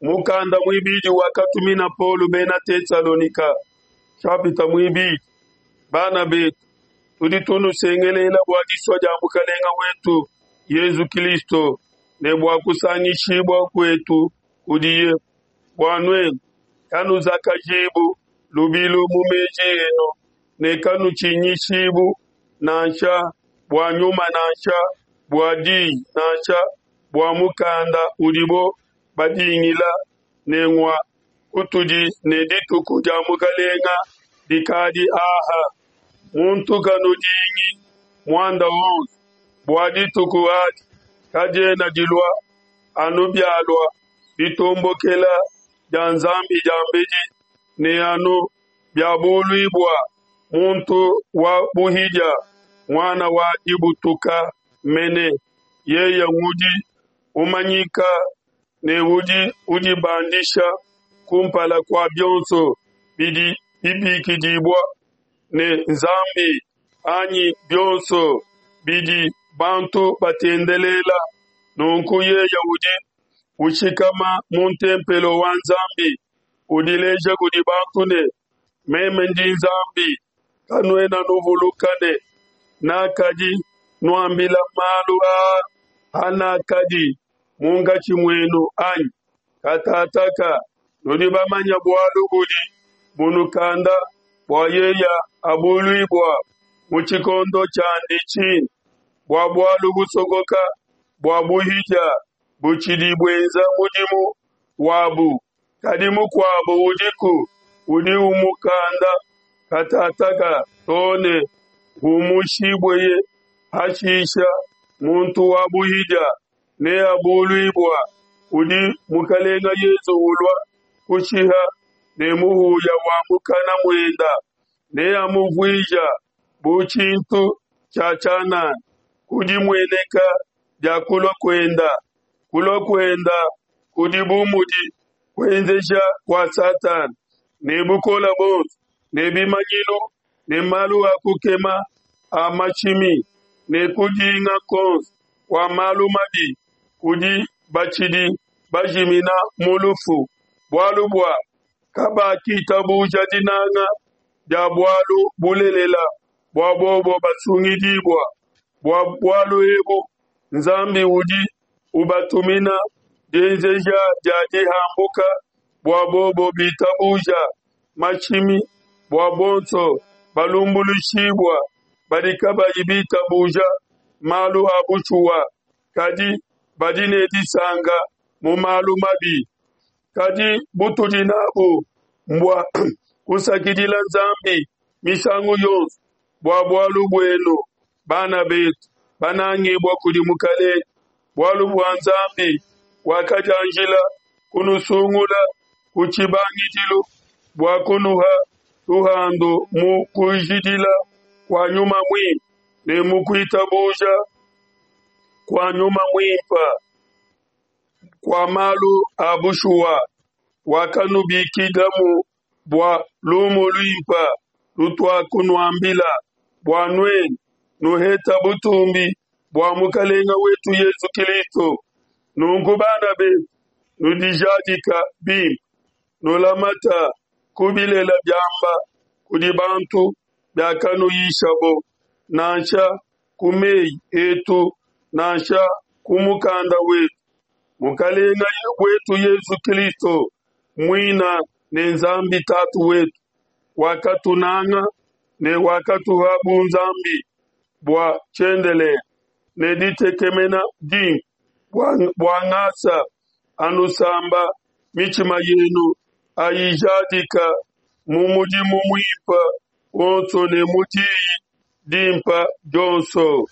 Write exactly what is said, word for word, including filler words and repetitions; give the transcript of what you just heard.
Mukanda muibidi wakatumina Paulo bena Tesalonika, nshapita muibidi. Bana betu, tudi tunusengelela bua disua dia Mukalenge wetu Yezu Kristo ne bua kusangishibua kuetu kudiye, bua nuenu kanuzakajibu lubilu mu meji enu ne kanutshinyishibu nansha bua nyuma nansha bua diyi nansha bua mukanda udibo badingila ne ngua kutudi ne dituku dia Mukalenge dikadi aha. Muntu kanudingi muanda wonso, bua dituku adi kadiena dilua anu bialua ditombokela dia Nzambi diambedi ne anu biabuluibua muntu wa buhidia, muana wa dibutuka mene, yeye ngudi umanyika ne udi udibandisha kumpala kua bionso bidi bibikidibua ne nzambi anyi bionso bidi bantu batendelela. Nunku yeye udi ushikama mu ntempelo wa Nzambi, udileja kudi bantu ne, meme ndi nzambi. Kanuena nuvuluka ne, Nakadi nuambila malu aa hanakadi munkatshi muenu, anyi? Katataka nudi bamanye bualu budi bunukanda bua yeye abuluibua mu tshikondo tshiandi tshine. Bua bualu busokoka bua buhidia butshidi buenza mudimu wabu, kadi mukuabo udiku udi umukanda katataka to ne humushibueye. Hashisha muntu wa buhidia neabuluibua, udi Mukelenge Yesu ulua kushiha ne muhuya wa mukana muenda, neamuvuija bu tshintu tshia tshianana ku dimueneka dia kulua kuenda. Kulua kuenda kudi bu mudi kuenzeja kua Satana, ne bukole buonso, ne bimanyinu ne malu a kukema a mashimi, ne kudinga kuonso kua malu mabi kudi batshidi bajimina mu lufu, bualu bua kabakitabuja dinanga dia bualu bulelela bua bobo basungidibua. Bua bualu ebu Nzambi udi ubatumina dienzeja dia dihambuka bua bobo bitabuja mashimi, bua bonso balumbuluishibua badi kabayi bitabuja malu a bushuwa, kadi badi ne disanka mu malu mabi. Kadi butudi nabu mbua kusakidila Nzambi misangu yonso bua bualu buenu, bana betu banangibua kudi Mukalenge, bualu bua Nzambi wakadianjila kunusungula ku tshibangidilu bua kunuha luhandu mu kujidila kua Nyuma Muimpe ne mu kuitabuja kua Nyuma Muimpe kua malu a bushuwa, wakanubikilamu bua lumu luimpe lutuakunuambila, bua nuenu nuheta butumbi bua Mukalenge wetu Yesu Kristo. Nunku bana betu, nudijadika bimpe, nulamata ku bilele biamba kudi bantu biakanuyishabo, nansha ku meyi etu nansha ku mukanda wetu. Mukalenge wetu Yesu Kristo muina ne Nzambi Tatu wetu wakatunanga ne wakatuha bunzambi bua tshiendelele ne ditekemena dimpe bua ngasa anusamba mitshima yenu ayijadika mu mudimu muimpe wonso ne mu diyi dimpe dionso.